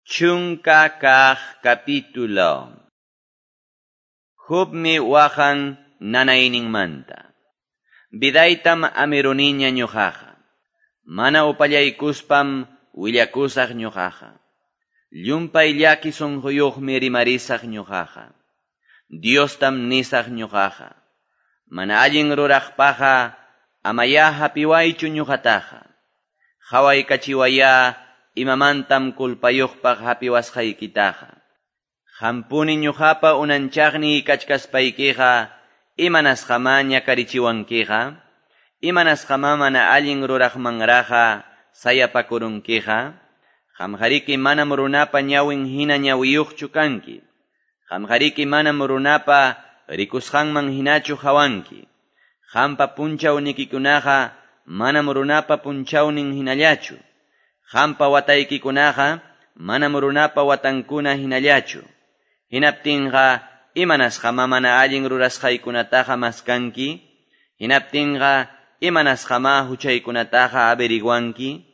10 capítulo. Jobmi waqan nanayninmanta. Vidaytam amiruniña ñuqaqa. Mana upallaykuspam willakusaq ñuqaqa. Llumpay llaki sunquyuqmi rimarisaq ñuqaqa. Diostam nisaq ñuqaqa. Mana allin ruraqpaqa amaya hapiwaychu ñuqataqa. Qhawaykachiwaya imamantam kulpayuqpaq hapiwasqaykitaqa. Hampuni ñuqapa unanchaqniy kachkaspaykiqa imanasqamá ñakarichiwankiqa, imanasqamá mana allin ruraqmanraqa sayapakurunkiqa, qamqariki manam runapa ñawin hina ñawiyuqchu kanki, qamqariki manam runapa rikusqanman hinachu hawanki, qampa punchawnikikunaqa manam runapa punchawnin hinallachu, qampa wataykikunaqa manam runapa watankuna hinallachu. Hinaptinqa imanasqamá mana allin rurasqaykunataqa maskanki, hinaptinqa imanasqamá huchaykunataqa averiguanki,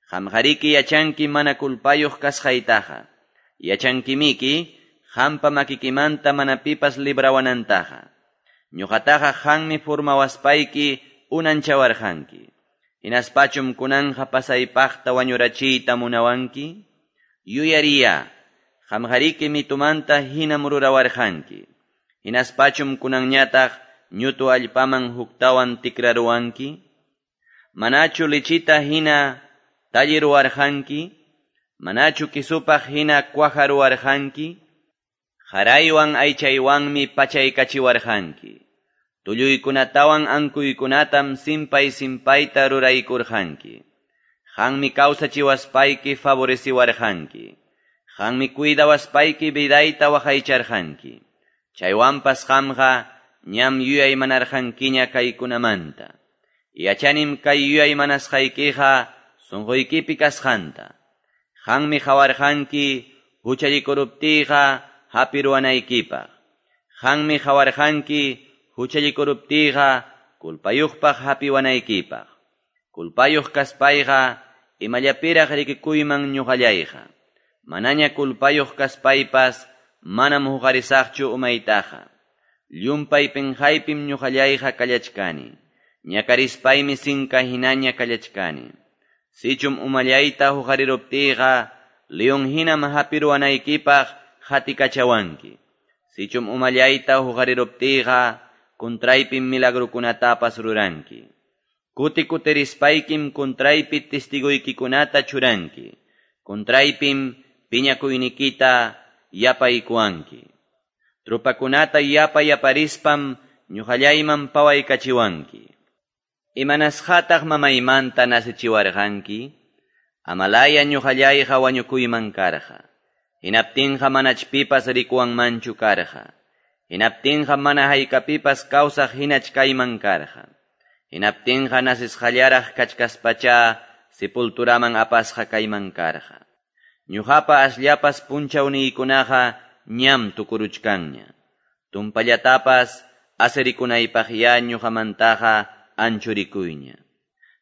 qamqariki yachanki mana kulpayuq kasqaytaqa, yachankimiki qampa makikimanta mana pipas librawanantaqa. Ñuqataqa qanmi formawaspayki unanchawarqanki. Hinaspachum kunanja pasaypaqta wañurachiyta munawanki, yuyariya, qamqariki mitumanta hinam rurawarqanki. Hinaspachum kunanñataq ñutu allpaman huktawan tikraruwanki, manachu lichita hina talliruwarqanki, manachu kisupaq hina cuajaruwarqanki, qaraywan aychaywanmi pachaykachiwarqanki. Tulluykunatawan ankuykunatam simpay simpayta ruraykurqanki. Qanmi kawsachiwaspayki favoreciwarqanki. Qanmi cuidawaspayki vidayta waqaycharqanki. Chaywanpas qamqa ñam yuyaymanarqankiña kaykunamanta. Yachanim kay yuyaymanasqaykiqa sunquykipi kasqanta. Qanmi qawarqanki huchallikuruptiyqa hapiruwanaykipaq. Qanmi qawarqanki huchallikuruptiyqa kulpayuqpaq hapiwanaykipaq. Kulpayuq kaspayqa imallapiraq rikikuyman ñuqallayqa. Manaña kulpayuq kaspaypas manam huqarisaqchu umaytaqa. Llumpay pinqaypim ñuqallayqa kallachkani. Ñakarispaymi sinka hinaña kallachkani. Sichum umallayta huqariruptiyqa leon hinam hapiruwanaykipaq hatikachawanki. Sichum umallayta huqariruptiyqa contraypim milagrukunatapas ruranki. Kuti kutirispaykim contraypi testiguykikunata churanki. Contraypim piñakuynikita yapaykuwanki. Trupakunata yapa yaparispam ñuqallayman pawaykachiwanki. Imanasqataq mamaymanta nasichiwarqanki, amalaya ñuqallayqa wañukuyman karqa. Hinaptinqa manach pipas rikuwanmanchu karqa. Hinaptinqa mana haykapipas kawsaq hinach kayman karqa. Hinaptinqa nasisqallaraq kachkaspacha sepulturaman apasqa kayman karqa. Ñuqapa asllapas punchawniykunaqa ñam tukuruchkanña. Tumpallatapas asirikunaypaqya ñuqamantaqa anchurikuyña.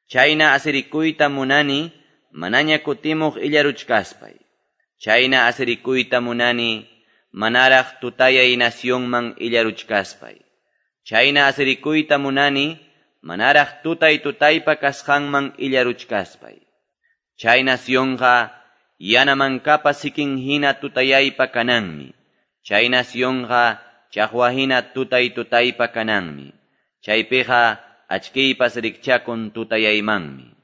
Chayna asirikuyta munani manaña kutimuq illaruchkaspay. Chayna asirikuyta munani manaraq tutayay nacionman illaruchkaspay. Chayna asirikuyta munani manaraq tutay tutaypa kasqanman illaruchkaspay. Chay nacionqa yanamankapa sikin hina tutayaypa kananmi. Chay nacionqa chaqwa hina tutay tutaypa kananmi. Chaypiqa achkiypas rikchakun tutayaymanmi.